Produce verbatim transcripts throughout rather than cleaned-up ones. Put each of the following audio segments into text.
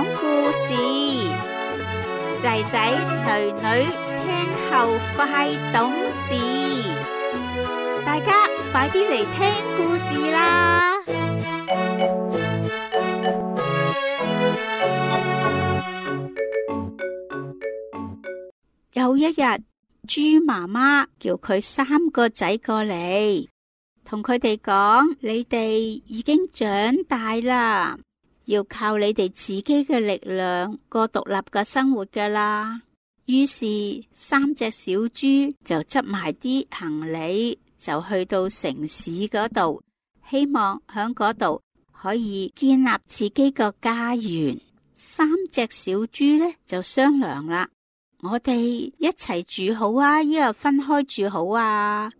講故事，仔仔女女聽後快懂事，大家快啲嚟聽故事啦！有一日，豬媽媽叫佢三個仔過嚟，同佢哋講：你哋已經長大啦，要靠你哋自己嘅力量過獨立嘅生活噶啦。於是三隻小豬就執埋啲行李，就去到城市嗰度，希望喺嗰度可以建立自己個家園。三隻小豬呢就商量啦：我哋一齊住好啊，抑或分開住好啊？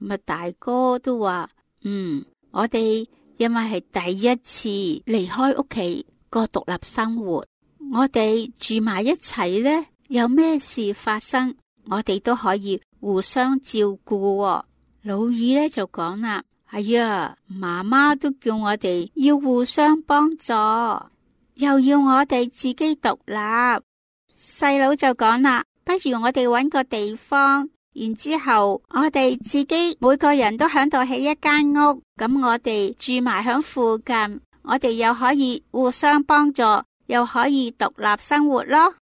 咁啊，大哥都話：嗯，我哋因為係第一次離開屋企過獨立生活，我哋住埋一齊呢，有咩事發生，我哋都可以互相照顧喎。老二呢就講啦：哎呀，媽媽都叫我哋要互相幫助，又要我哋自己獨立。細佬就講啦：不如我哋搵個地方，然之後我哋自己每個人都響度起一間屋，咁我哋住埋響附近，我哋又可以互相幫助，又可以獨立生活咯。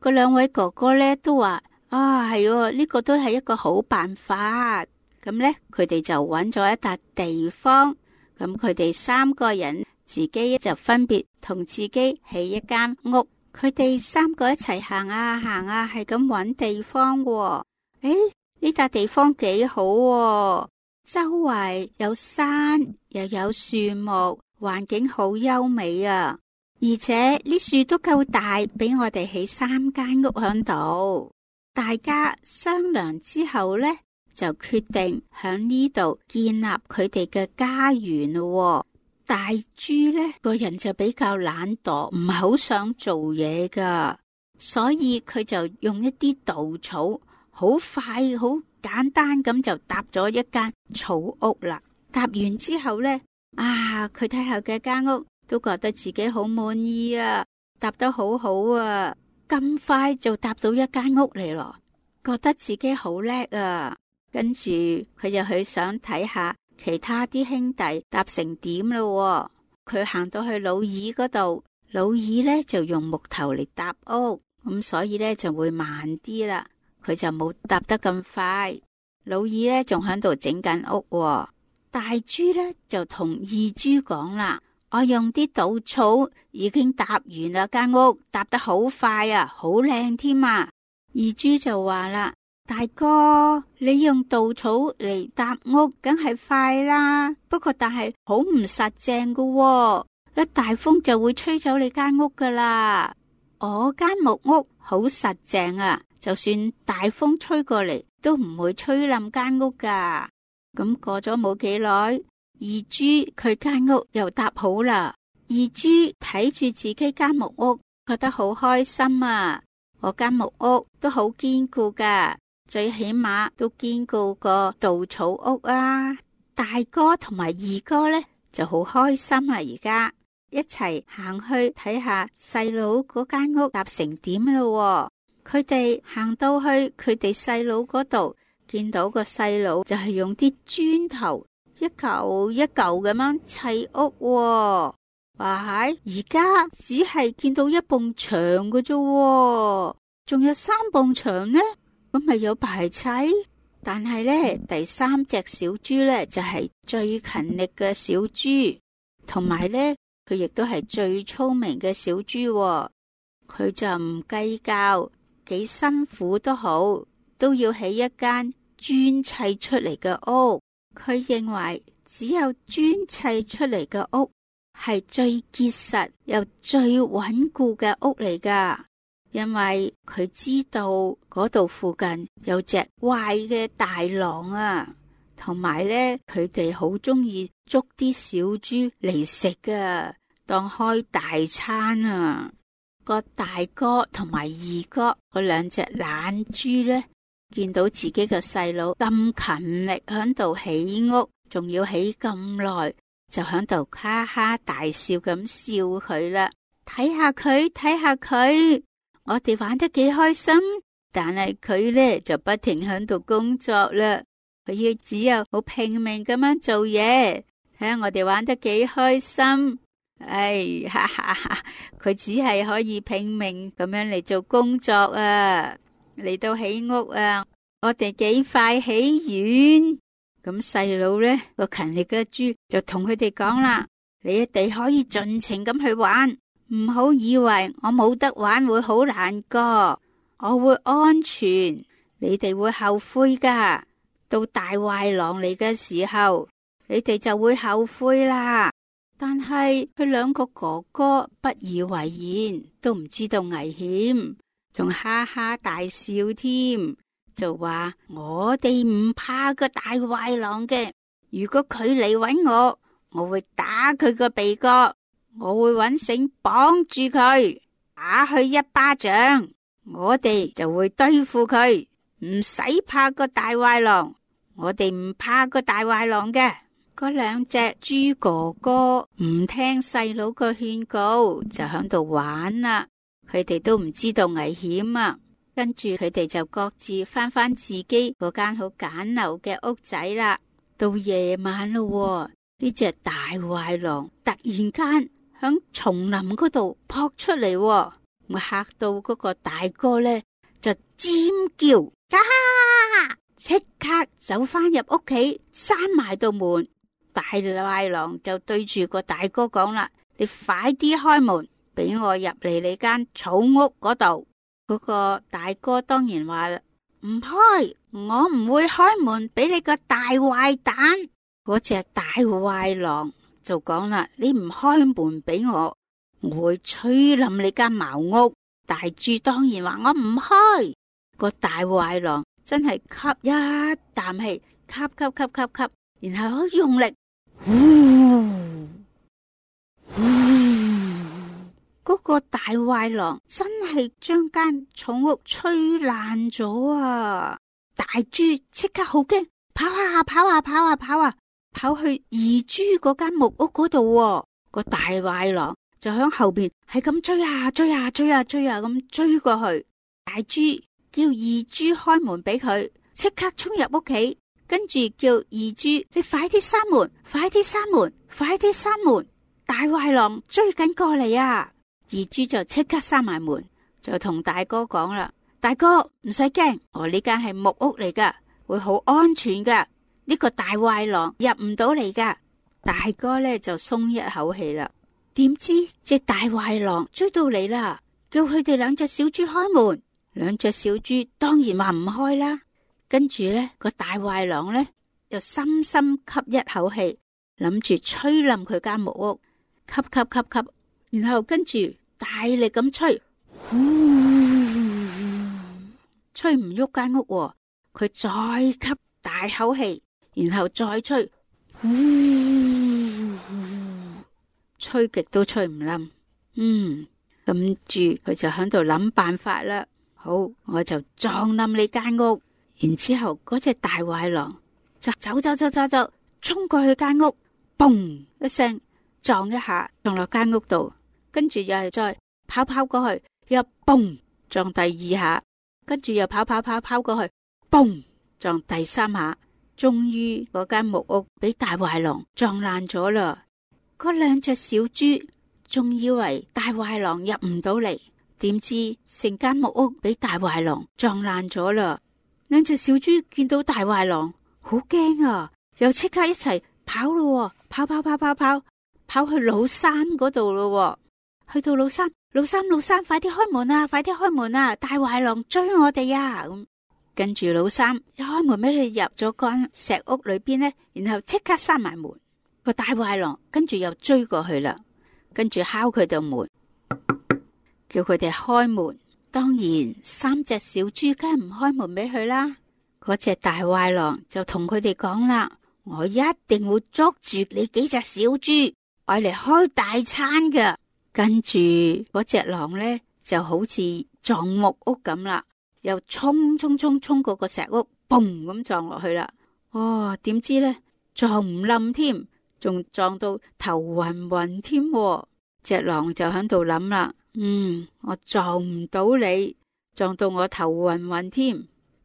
嗰兩位哥哥咧都話：啊，係喎，呢個都係一個好辦法。咁呢，佢哋就搵咗一笪地方，咁佢哋三個人自己就分別同自己起一間屋。佢哋三個一齊行啊行啊，係咁搵地方喎。誒，呢笪地方幾好喎，周圍有山又有樹木，環境好優美啊！而且呢樹都夠大，俾我哋起三間屋響度。大家商量之後呢，就決定響呢度建立佢哋嘅家園咯。大豬呢個人就比較懶惰，唔係好想做嘢噶，所以佢就用一啲稻草，好快好簡單咁就搭咗一間草屋啦。搭完之後呢，啊，佢睇下嘅間屋都覺得自己好滿意啊，搭得好好啊，咁快就搭到一間屋嚟咯，覺得自己好叻啊。跟住佢就去想睇下其他啲兄弟搭成點咯。佢行到去老二嗰度，老二呢就用木頭嚟搭屋，咁所以呢就會慢啲啦。佢就冇搭得咁快。老二呢仲喺度整緊屋，大豬呢就同二豬講啦：我用啲稻草已經搭完啦，間屋搭得好快啊，好靚添啊。二豬就話啦：大哥，你用稻草嚟搭屋梗係快啦，不過但係好唔實淨噶喎，一大風就會吹走你間屋噶啦。我間木屋好實淨啊，就算大風吹過嚟都唔會吹冧間屋噶。咁過咗冇幾耐，二豬佢間屋又搭好啦。二豬睇住自己間木屋，覺得好開心啊！我間木屋都好堅固噶，最起碼都堅固過稻草屋啊！大哥同埋二哥呢就好開心啦，而家一齊行去睇下細佬嗰間屋搭成點咯。佢哋行到去佢哋細佬嗰度，見到個細佬就係用啲磚頭一嚿一嚿咁樣砌屋。哇，而家只係見到一埲牆嘅啫，仲有三埲牆呢，咁咪有排砌。但係呢，第三隻小豬呢就係最勤力嘅小豬，同埋呢佢亦都係最聰明嘅小豬。佢就唔計較幾辛苦都好，都要起一間磚砌出嚟嘅屋。佢認為只有磚砌出嚟嘅屋係最結實又最穩固嘅屋嚟噶，因為佢知道嗰度附近有隻壞嘅大狼啊，同埋呢，佢哋好中意捉啲小豬嚟食噶，當開大餐啊。個大哥同埋二哥嗰兩隻懶豬呢，見到自己嘅細佬咁勤力響度起屋，仲要起咁耐，就響度哈哈大笑咁笑佢啦。睇下佢，睇下佢，我哋玩得幾開心。但係佢咧就不停喺度工作啦，佢要只有好拼命咁樣做嘢。睇下我哋玩得幾開心。哎，哈哈哈！佢只係可以拼命咁樣嚟做工作啊，嚟到起屋啊，我哋幾快起完。咁細佬呢個勤力嘅豬就同佢哋講啦：你哋可以盡情咁去玩，唔好以為我冇得玩會好難過，我會安全，你哋會後悔噶。到大壞狼嚟嘅時候，你哋就會後悔啦。但係佢兩個哥哥不以為然，都唔知道危險，仲哈哈大笑添，就話我哋唔怕個大壞狼嘅。如果佢嚟搵我，我會打佢個鼻哥，我會搵繩綁住佢，打佢一巴掌，我哋就會對付佢，唔使怕個大壞狼，我哋唔怕個大壞狼嘅。嗰兩隻豬哥哥唔聽細佬個勸告，就喺度玩啦。佢哋都唔知道危險啊。跟住佢哋就各自翻返自己嗰間好簡陋嘅屋仔啦。到夜晚咯，呢隻大壞狼突然間響叢林嗰度撲出嚟，我嚇到嗰個大哥呢，就尖叫，啊！即刻走翻入屋企，閂埋道門。大壞狼就對住個大哥講啦：你快啲開門，俾我入嚟你間草屋嗰度。嗰個大哥當然話唔開，我唔會開門俾你個大壞蛋。嗰隻大壞狼就講啦：你唔開門俾我，我會吹冧你間茅屋。大豬當然話我唔開。個大壞狼真係吸一啖氣，吸吸吸吸吸，然後好用力。呼呼，嗰個大壞狼真係將間草屋吹爛咗啊！大豬即刻好驚，跑啊跑啊跑啊跑啊，跑去二豬嗰間木屋嗰度。個大壞狼就響後邊係咁追啊追啊追啊追啊咁追過去。大豬叫二豬開門俾佢，即刻衝入屋企。跟住叫二豬，你快啲閂門，快啲閂門，快啲閂門！大壞狼追緊過嚟啊！二豬就即刻閂埋門，就同大哥講啦：大哥唔使驚，我呢間係木屋嚟噶，會好安全噶，呢個大壞狼入唔到嚟噶。大哥呢就鬆一口氣啦。點知隻大壞狼追到嚟啦，叫佢哋兩隻小豬開門。兩隻小豬當然話唔開啦。跟住呢個大壞狼呢，又深深吸一口氣，諗住吹冧佢間木屋，吸吸吸吸，然後跟住大力咁吹，呼，吹唔喐間屋，佢再吸大口氣，然後再吹，呼，吹極都吹唔冧。嗯，跟住佢就喺度諗辦法啦。好，我就撞冧你間屋。然之後嗰隻大壞狼就走走走走走，衝過去間屋，嘣一聲撞一下撞落間屋度，跟住又係再跑跑過去，又嘣撞第二下，跟住又跑跑跑跑過去，嘣撞第三下，終於嗰間木屋俾大壞狼撞爛咗啦。嗰兩隻小豬仲以為大壞狼入唔到嚟，點知成間木屋俾大壞狼撞爛咗啦。兩隻小豬見到大壞狼，好驚啊！又即刻一齊跑咯，跑跑跑跑跑，跑去老三嗰度咯。去到老三，老三老三，快啲開門啊！快啲開門啊！大壞狼追我哋啊！咁跟住老三一開門俾你入咗間石屋裏邊呢，然後即刻閂埋門。個大壞狼跟住又追過去啦，跟住敲佢道門，叫佢哋開門。當然，三隻小豬梗係唔開門俾佢啦。嗰隻大壞狼就同佢哋講啦：我一定會捉住你幾隻小豬，愛嚟開大餐㗎。跟住嗰隻狼呢，就好似撞木屋咁啦，又衝衝衝衝過個石屋，嘣咁撞落去啦。哦，點知呢？撞唔冧添，仲撞到頭暈暈添。隻狼就喺度諗啦，嗯，我撞唔到你，撞到我頭暈暈添，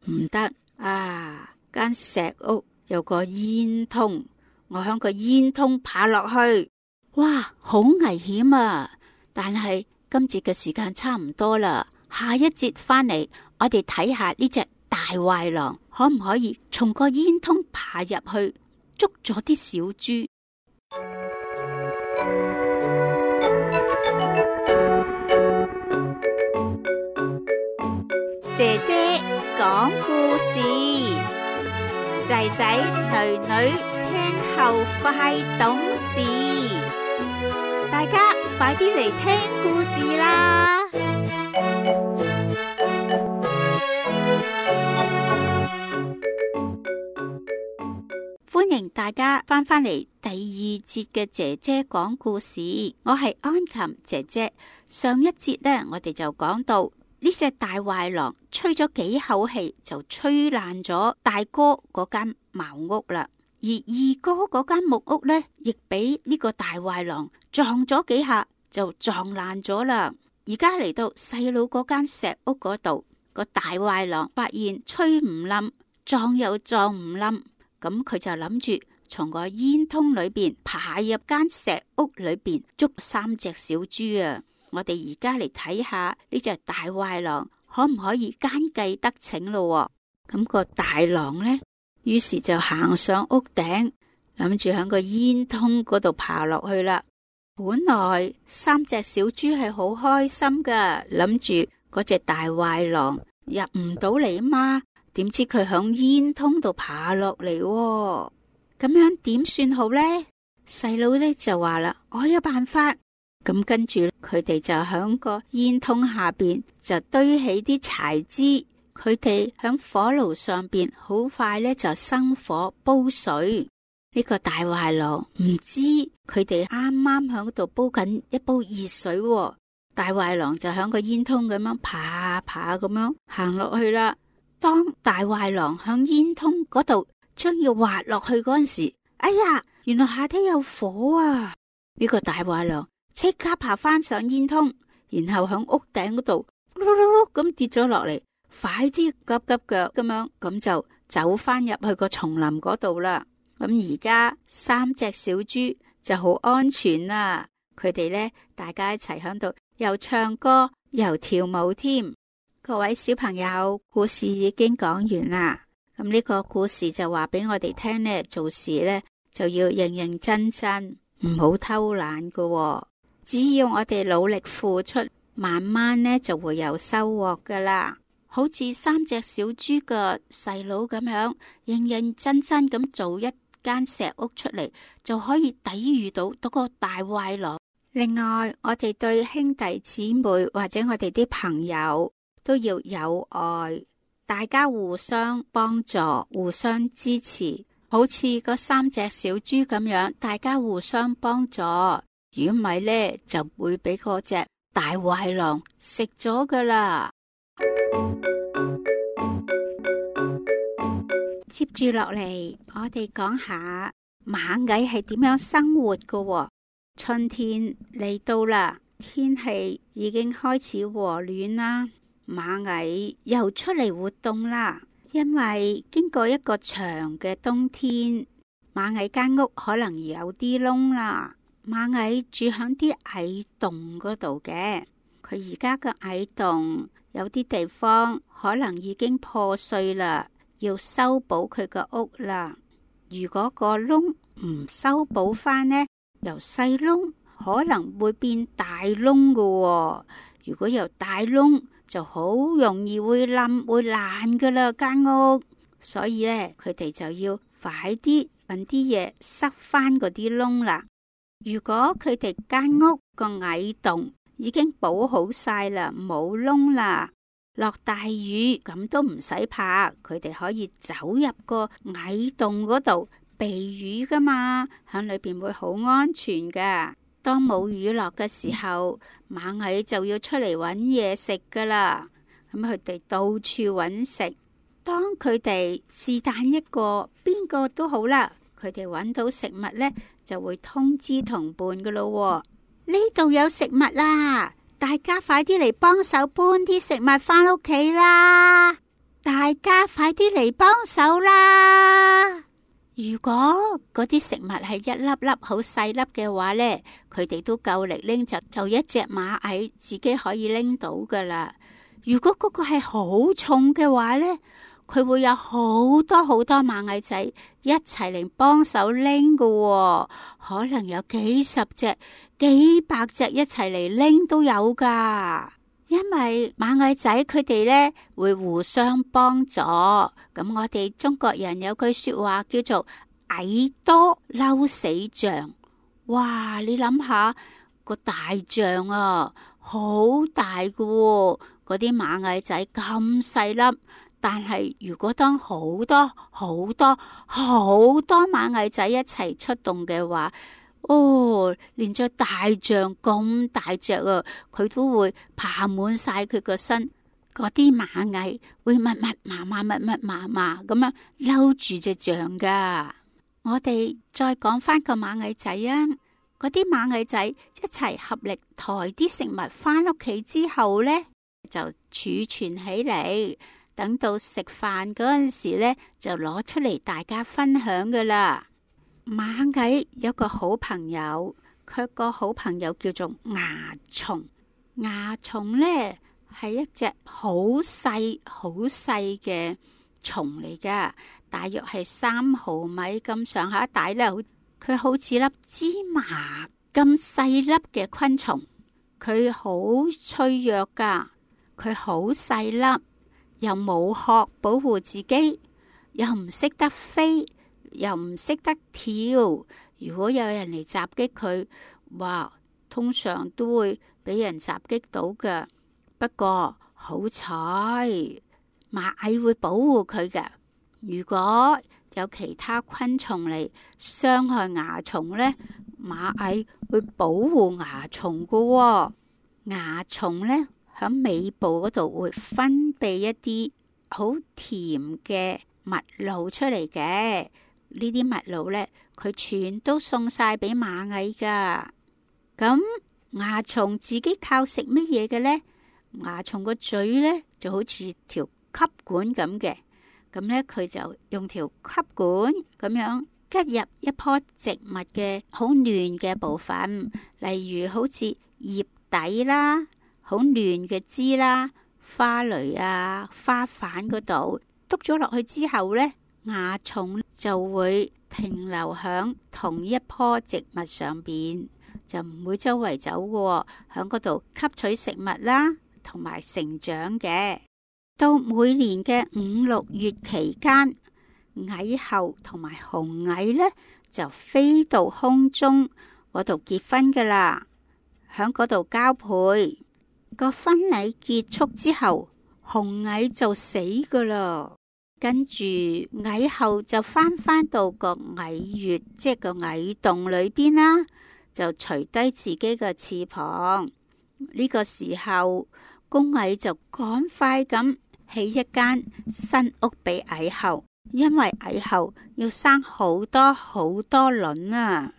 唔得啊！間石屋有個煙囪，我響個煙囪爬落去，哇，好危險啊！但係今節嘅時間差唔多啦，下一節翻嚟，我哋睇下呢隻大壞狼可唔可以從個煙囪爬入去，捉咗啲小豬。姐姐講故事，仔仔女女聽後快懂事，大家快啲嚟聽故事啦！歡迎大家翻返嚟第二節嘅姐姐講故事，我係安琴姐姐。上一節呢，我哋就講到呢隻大壞狼吹咗幾口氣就吹爛咗大哥嗰間茅屋啦，而二哥嗰間木屋呢，亦俾呢個大壞狼撞咗幾下就撞爛咗啦。而家嚟到細佬嗰間石屋嗰度，個大壞狼發現吹唔冧，撞又撞唔冧，咁佢就諗住從個煙囪裏邊爬入間石屋裏邊捉三隻小豬啊！我哋而家嚟睇下呢隻大壞狼可唔可以奸計得逞咯？咁個大狼呢，於是就行上屋頂，諗住喺個煙囪嗰度爬落去啦。本來三隻小豬係好開心噶，諗住嗰隻大壞狼入唔到嚟嘛，點知佢響煙囪度爬落嚟，咁樣點算好呢？細佬呢就話啦，我有辦法。咁跟住佢哋就響個煙囪下邊就堆起啲柴枝，佢哋響火爐上邊好快咧就生火煲水。呢個大壞狼唔知佢哋啱啱響度煲緊一煲熱水，大壞狼就響個煙囪咁樣爬爬咁樣行落去啦。當大壞狼響煙囪嗰度將要滑落去嗰陣時，哎呀，原來下底有火啊！呢個大壞狼即刻爬翻上煙囪，然後響屋頂嗰度碌碌碌咁跌咗落嚟，快啲急急腳咁樣咁就走翻入去個叢林嗰度啦。咁而家三隻小豬就好安全啦，佢哋呢，大家一齊響度又唱歌又跳舞添。各位小朋友，故事已經講完啦。咁呢個故事就話俾我哋聽呢，做事呢就要認認真真，唔好偷懶㗎喎。只要我哋努力付出，慢慢呢就會有收穫噶啦。好似三隻小豬嘅細佬咁樣，認認真真咁做一間石屋出嚟，就可以抵禦到嗰個大壞狼。另外，我哋對兄弟姊妹或者我哋啲朋友都要有愛，大家互相幫助，互相支持，好似嗰三隻小豬咁樣，大家互相幫助。如果唔係呢，就會俾嗰隻大壞狼食咗噶啦。接住落嚟，我哋講下螞蟻係點樣生活噶喎。春天嚟到啦，天氣已經開始和暖啦，螞蟻又出嚟活動啦。因為經過一個長嘅冬天，螞蟻間屋可能有啲窿啦。螞蟻住響啲蟻洞嗰度嘅，佢而家嘅蟻洞有啲地方可能已經破碎啦，要修補佢個屋啦。如果個窿唔修補翻呢，由細窿可能會變大窿㗎喎。如果由大窿就好容易會冧會爛噶啦間屋，所以呢，佢哋就要快啲搵啲嘢塞翻嗰啲窿啦。如果佢哋間屋個蟻洞已經補好晒啦，冇窿啦，落大雨咁都唔使怕，佢哋可以走入個蟻洞嗰度避雨噶嘛，喺裏邊會好安全噶。當冇雨落嘅時候，螞蟻就要出嚟搵嘢食噶啦。咁佢哋到處搵食，當佢哋是但一個邊個都好啦，佢哋搵到食物呢，就會通知同伴噶咯。呢度有食物啦，大家快啲嚟幫手搬啲食物返屋企啦！大家快啲嚟幫手啦！如果嗰啲食物係一粒粒好細粒嘅話呢，佢哋都夠力拎，就就一隻螞蟻自己可以拎到噶啦。如果嗰個係好重嘅話呢，佢會有好多好多螞蟻仔一齊嚟幫手拎噶喎，可能有幾十隻、幾百隻一齊嚟拎都有噶。因為螞蟻仔佢哋呢會互相幫助，咁我哋中國人有句說話叫做蟻多嬲死象。哇！你諗下個大象啊，好大噶喎，嗰啲螞蟻仔咁細粒，但係如果當好多好多好多螞蟻仔一齊出動嘅話，哦，連隻大象咁大隻啊，佢都會爬滿晒佢個身，嗰啲螞蟻會密密麻麻、密密麻麻咁樣嬲住隻象噶。我哋再講翻個螞蟻仔啊，嗰啲螞蟻仔一齊合力抬啲食物翻屋企之後呢，就儲存起嚟，等到食飯嗰陣時呢，就攞出嚟大家分享噶啦。螞蟻有個好朋友，佢個好朋友叫做蚜蟲。蚜蟲呢係一隻好細好細嘅蟲嚟噶，大約係三毫米咁上下大咧。佢好似粒芝麻咁細粒嘅昆蟲，佢好脆弱噶，佢好細粒，又冇殼保護自己，又唔識得飛，又唔識得跳。如果有人嚟襲擊佢，哇，通常都會俾人襲擊到嘅。不過好彩，螞蟻會保護佢嘅。如果有其他昆蟲嚟傷害蚜蟲呢，螞蟻會保護蚜蟲嘅喎。蚜蟲呢喺尾部嗰度會分泌一啲好甜嘅蜜露出嚟嘅。呢啲蜜露呢，佢全都送晒俾螞蟻噶。咁蚜蟲自己靠食乜嘢嘅呢？蚜蟲個嘴呢就好似條吸管咁嘅，咁呢，佢就用條吸管咁樣吉入一棵植物嘅好嫩嘅部分，例如好似葉底啦、好嫩嘅枝啦、花蕾啊、花瓣嗰度，篤咗落去之後呢，蚜蟲就會停留響同一棵植物上邊，就唔會周圍走嘅，響嗰度吸取食物啦，同埋成長嘅。到每年嘅五六月期間，蟻后同埋雄蟻呢就飛到空中嗰度結婚噶啦，響嗰度交配。個婚禮結束之後，雄蟻就死噶啦。跟住蟻后就翻返到個蟻穴，即係個蟻洞裏邊啦，就除低自己嘅翅膀。呢個時候，公蟻就趕快咁起一間新屋俾蟻后，因為蟻后要生好多好多卵啊！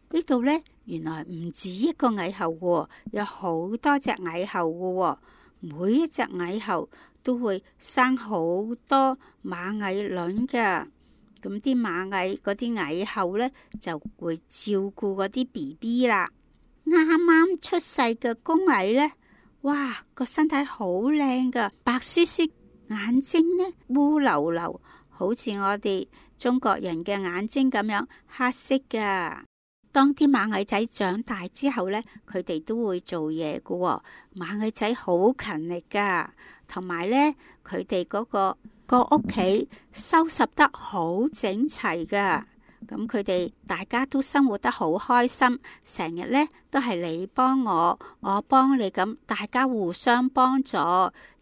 呢度呢，原來唔止一個蟻后喎，有好多隻蟻后嘅喎，每一隻蟻后都會生好多螞蟻卵噶。咁啲螞蟻嗰啲蟻后呢，就會照顧嗰啲 B B 啦。啱啱出世嘅公蟻呢，哇，個身體好靚噶，白雪雪，眼睛呢烏溜溜，好似我哋中國人嘅眼睛咁樣黑色噶。當啲螞蟻仔長大之後呢，佢哋都會做嘢噶喎。螞蟻仔好勤力噶，同埋呢，佢哋嗰個個屋企收拾得好整齊噶。咁佢哋大家都生活得好開心，成日呢都係你幫我，我幫你咁，大家互相幫助。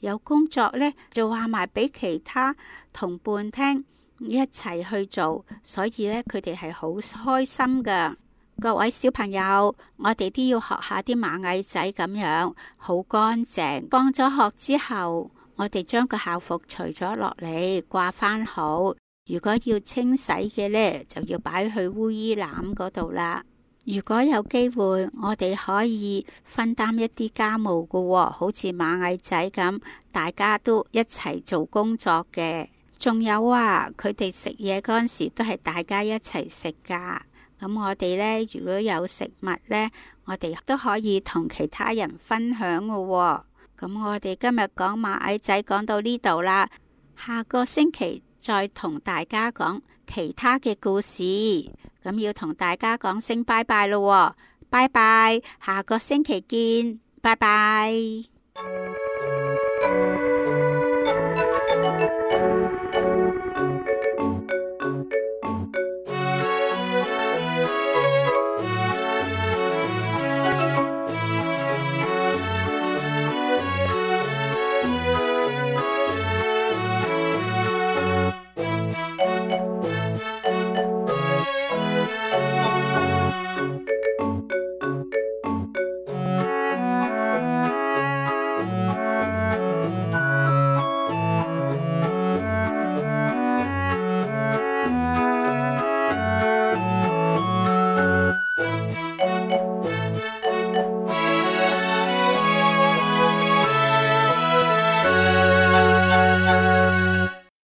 有工作呢就話埋俾其他同伴聽，一齊去做，所以呢，佢哋係好開心噶。各位小朋友，我哋都要學下啲螞蟻仔咁樣，好乾淨。放咗學之後，我哋將個校服除咗落嚟，掛翻好。如果要清洗嘅呢，就要擺去污衣籃嗰度啦。如果有機會，我哋可以分擔一啲家務㗎喎，好似螞蟻仔咁，大家都一齊做工作嘅。仲有啊，佢哋食嘢嗰陣時都係大家一齊食㗎。咁我哋呢，如果有食物呢，我哋都可以同其他人分享㗎喎。咁我哋今日講螞蟻仔講到呢度啦，下個星期再同大家講其他嘅故事。咁要同大家講聲拜拜咯喎，拜拜，下個星期見，拜拜。